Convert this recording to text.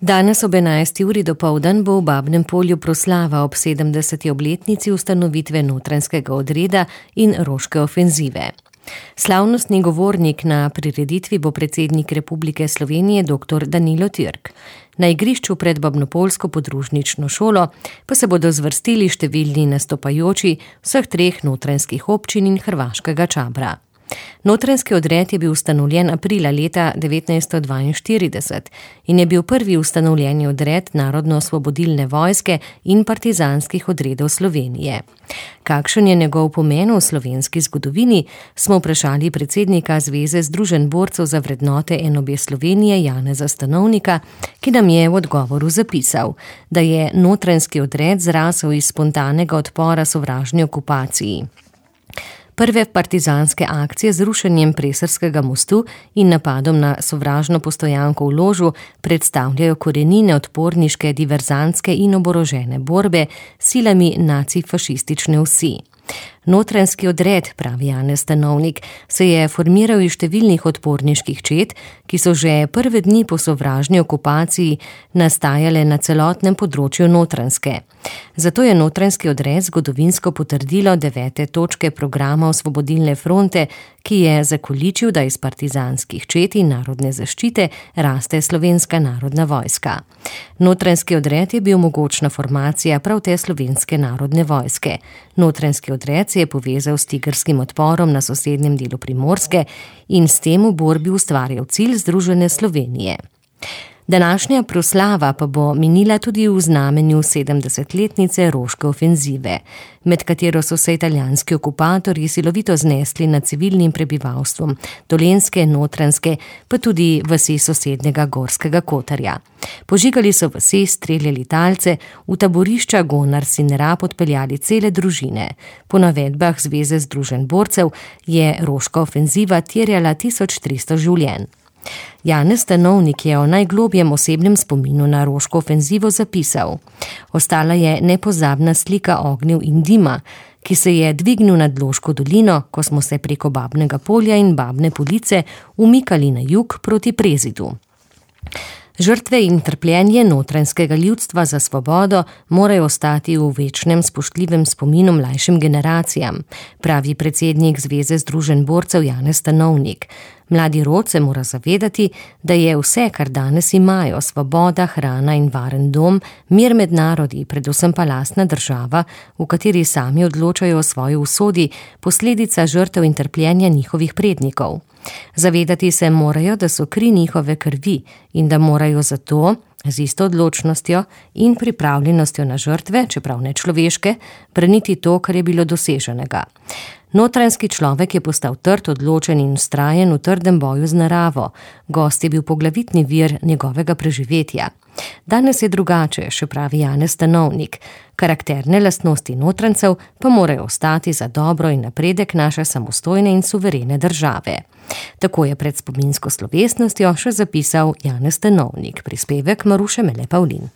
Danes ob 11. uri dopoldan bo v Babnem Polju proslava ob 70. obletnici ustanovitve notranjskega odreda in Roške ofenzive. Slavnostni govornik na prireditvi bo predsednik Republike Slovenije dr. Danilo Türk. Na igrišču pred babnopoljsko podružnično šolo pa se bodo zvrstili številni nastopajoči vseh treh notranjskih občin in hrvaškega Čabra. Notranjski odred je bil ustanovljen aprila leta 1942 in je bil prvi ustanovljeni odred Narodno-osvobodilne vojske in partizanskih odredov Slovenije. Kakšen je njegov pomen v slovenski zgodovini, smo vprašali predsednika Zveze združenj borcev za vrednote NOB Slovenije Janeza Stanovnika, ki nam je v odgovoru zapisal, da je notranjski odred zrasel iz spontanega odpora sovražni okupaciji. Prve partizanske akcije z rušenjem Preserskega mostu in napadom na sovražno postojanko v Ložu predstavljajo korenine odporniške, diverzantske in oborožene borbe s silami nacifašistične osi. Notranjski odred, pravi Janez Stanovnik, se je formiral iz številnih odporniških čet, ki so že prve dni po sovražni okupaciji nastajale na celotnem področju Notranjske. Zato je notranjski odred zgodovinsko potrdilo 9. točke programa Osvobodilne fronte, ki je zakoličil, da iz partizanskih čet in narodne zaščite raste Slovenska narodna vojska. Notranjski odred je bil mogočna formacija prav te Slovenske narodne vojske. Notranjski odred se je povezal s tigrskim odporom na sosednjem delu Primorske in s tem v borbi ustvarjal cilj združene Slovenije. Današnja proslava pa bo minila tudi v znamenju 70-letnice Roške ofenzive, med katero so se italijanski okupatorji silovito znesli nad civilnim prebivalstvom Dolenjske, Notranjske, pa tudi vasi sosednjega Gorskega Kotarja. Požigali so vasi, streljali talce, v taborišča Gonars in Rab odpeljali cele družine. Po navedbah Zveze združenj borcev je Roška ofenziva terjala 1300 življenj. Janez Stanovnik je o najglobjem osebnem spominu na Roško ofenzivo zapisal: Ostala je nepozabna slika ognjev in dima, ki se je dvignil nad Loško dolino, ko smo se preko Babnega Polja in Babne Police umikali na jug proti Prezidu. Žrtve in trpljenje notranjskega ljudstva za svobodo morajo ostati v večnem spoštljivem spominu mlajšim generacijam, pravi predsednik Zveze združenj borcev Janez Stanovnik. Mladi rod se mora zavedati, da je vse, kar danes imajo, svoboda, hrana in varen dom, mir med narodi, predvsem pa lastna država, v kateri sami odločajo o svoji usodi, posledica žrtev in trpljenja njihovih prednikov. Zavedati se morajo, da so kri njihove krvi in da morajo zato z isto odločnostjo in pripravljenostjo na žrtve, čeprav ne človeške, braniti to, kar je bilo doseženega. Notranjski človek je postal trd, odločen in vztrajen v trdem boju z naravo. Gost je bil poglavitni vir njegovega preživetja. Danes je drugače, še pravi Janez Stanovnik. Karakterne lastnosti notranjcev pa morajo ostati za dobro in napredek naše samostojne in suverene države. Tako je pred spominsko slovesnostjo še zapisal Janez Stanovnik, prispevek Maruše Mele Pavlin.